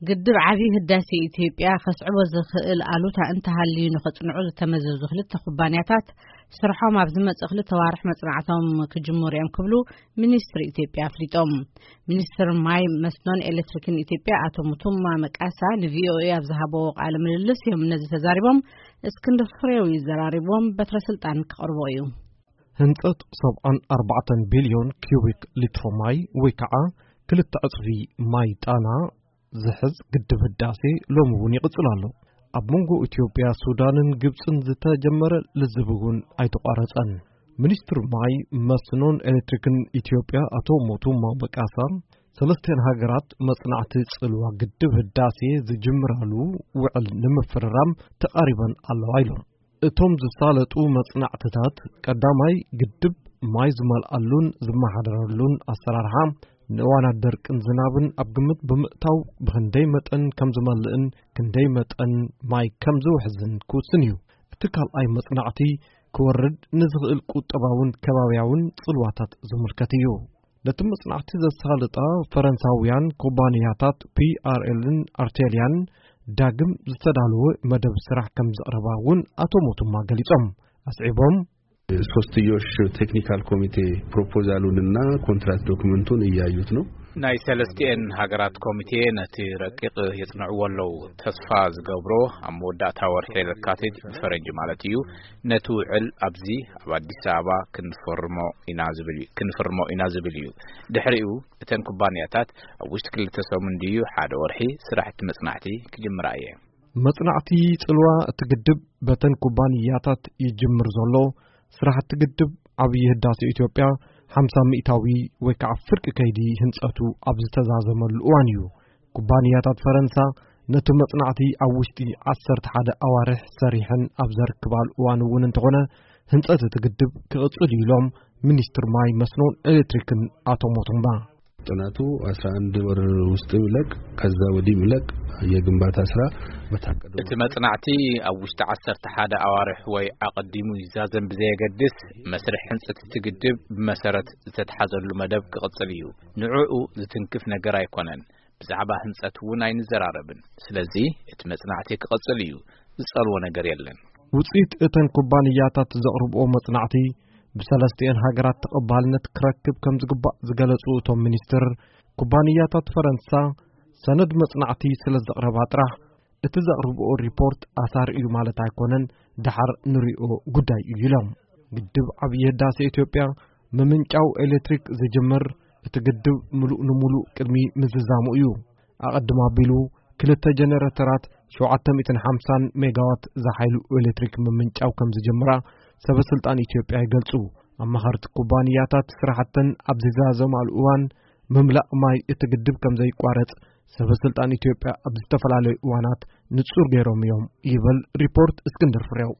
ግድብ ዓብዪ ህዳሴ ኢትዮጵያ ከስዕቦ ዝኽእል ኣሉታ እንተሃልዩ ንኸጽንዑ ዝተመዘዙ ክልተ ኩባንያታት ስርሖም ኣብ ዝመጽእ ክልተ ዋርሕ መጽናዕቶም ክጅምሩ እዮም ክብሉ ሚኒስትሪ ኢትዮጵያ ኣፍሊጦም። ሚኒስትር ማይ መስኖን ኤሌክትሪክን ኢትዮጵያ ኣቶ ሙቱማ መቃሳ ንቪኦኤ ኣብ ዝሃበዎ ቃለ ምልልስ እዮም ነዚ ተዛሪቦም። እስክንድር ፍሬው ይዘራሪቦም በትረ ስልጣን ክቐርቦ እዩ። ህንጸት ሰብዓን ኣርባዕተን ቢልዮን ኪዩቢክ ሊትሮ ማይ ወይ ከዓ ክልተ ዕጽፊ ማይ ጣና ዝሕዝ ግድብ ህዳሴ ሎሚ እውን ይቕጽል ኣሎ። ኣብ መንጎ ኢትዮጵያ፣ ሱዳንን ግብጽን ዝተጀመረ ልዝብ እውን ኣይተቋረጸን። ሚኒስትር ማይ መስኖን ኤሌክትሪክን ኢትዮጵያ ኣቶ ሞቱማ በቃሳ ሰለስቲአን ሃገራት መጽናዕቲ ጽልዋ ግድብ ህዳሴ ዝጅምራሉ ውዕል ንምፍርራም ተቓሪበን ኣለዋ ኢሎም። እቶም ዝሳለጡ መጽናዕትታት ቀዳማይ ግድብ ማይ ዝመልኣሉን ዝመሓደረሉን ኣሰራርሓ፣ ንእዋናት ደርቅን ዝናብን ኣብ ግምት ብምእታው ብኽንደይ መጠን ከም ዝመልእን ክንደይ መጠን ማይ ከም ዝውሕዝን ክውስን እዩ። እቲ ካልኣይ መጽናዕቲ ክወርድ ንዝኽእል ቁጠባውን ከባብያውን ጽልዋታት ዝምልከት እዩ። ነቲ መጽናዕቲ ዘሳልጣ ፈረንሳውያን ኩባንያታት ፒ ኣር ኤልን ኣርቴልያን ዳግም ዝተዳለወ መደብ ስራሕ ከም ዘቕረባ እውን ኣቶ ሞቱማ ገሊጾም። ኣስዒቦም፣ ሶስትዮሽ ቴክኒካል ኮሚቴ ፕሮፖዛሉንና ኮንትራት ዶክመንቱን እያዩት ነው። ናይ ሰለስቲኤን ሃገራት ኮሚቴ ነቲ ረቂቕ የጽንዕዎ ኣለዉ። ተስፋ ዝገብሮ ኣብ መወዳእታ ወርሒ ለካቲት፣ ብፈረንጂ ማለት እዩ፣ ነቲ ውዕል ኣብዚ ኣብ ኣዲስ ኣበባ ክንፈርሞ ኢና ዝብል እዩ፣ ክንፍርሞ ኢና ዝብል እዩ። ድሕሪኡ እተን ኩባንያታት ኣብ ውሽጢ ክልተ ሰሙን ድዩ ሓደ ወርሒ ስራሕቲ መጽናዕቲ ክጅምራ እየ። መጽናዕቲ ጽልዋ እቲ ግድብ በተን ኩባንያታት ይጅምር ዘሎ። ስራሕቲ ግድብ ዓብዪ ህዳሴ ኢትዮጵያ ሓምሳ ሚእታዊ ወይ ከዓ ፍርቂ ከይዲ ህንጸቱ ኣብ ዝተዛዘመሉ እዋን እዩ። ኩባንያታት ፈረንሳ ነቲ መጽናዕቲ ኣብ ውሽጢ ዓሰርተ ሓደ ኣዋርሕ ሰሪሐን ኣብ ዘርክባሉ እዋን እውን እንተኾነ፣ ህንጸት እቲ ግድብ ክቕጽል እዩ ኢሎም ሚኒስትር ማይ መስኖን ኤሌክትሪክን ኣቶ ሞቶምባ። ጥናቱ አስራ አንድ ወር ውስጥ ይለቅ፣ ከዛ ወዲህ ይለቅ። የግንባታ ስራ በታቀደው እቲ መጽናዕቲ ኣብ ውሽጢ ዓሰርተ ሓደ ኣዋርሕ ወይ ኣቐዲሙ ይዛዘም ብዘየገድስ፣ መስርሕ ህንጸት እቲ ግድብ ብመሰረት ዝተትሓዘሉ መደብ ክቕጽል እዩ። ንዕኡ ዝትንክፍ ነገር ኣይኮነን። ብዛዕባ ህንጸት እውን ኣይንዘራረብን። ስለዚ እቲ መጽናዕቲ ክቕጽል እዩ። ዝጸልዎ ነገር የለን። ውጽኢት እተን ኩባንያታት ዘቕርብኦ መጽናዕቲ ብሰለስቲኤን ሃገራት ተቐባልነት ክረክብ ከም ዝግባእ ዝገለጹ እቶም ሚኒስትር፣ ኩባንያታት ፈረንሳ ሰነድ መጽናዕቲ ስለ ዘቕረባ ጥራሕ እቲ ዘቕርብኦ ሪፖርት ኣሳሪ እዩ ማለት ኣይኮነን፣ ደሓር ንሪኦ ጉዳይ እዩ ኢሎም። ግድብ ዓብዪ ህዳሴ ኢትዮጵያ ምምንጫው ኤሌክትሪክ ዝጅምር እቲ ግድብ ምሉእ ንምሉእ ቅድሚ ምዝዛሙ እዩ። ኣቐድም ኣቢሉ ክልተ ጀነሬተራት ሸውዓተ ሚእትን ሓምሳን ሜጋዋት ዝሓይሉ ኤሌክትሪክ ምምንጫው ከም ዝጀምራ ሰበ ስልጣን ኢትዮጵያ ይገልጹ። ኣማኸርቲ ኩባንያታት ስራሕተን ኣብ ዝዛዘማሉ እዋን ምምላእ ማይ እቲ ግድብ ከም ዘይቋረጽ ሰበ ስልጣን ኢትዮጵያ ኣብ ዝተፈላለዩ እዋናት ንጹር ገይሮም እዮም ይብል ሪፖርት እስክንድር ፍሬው።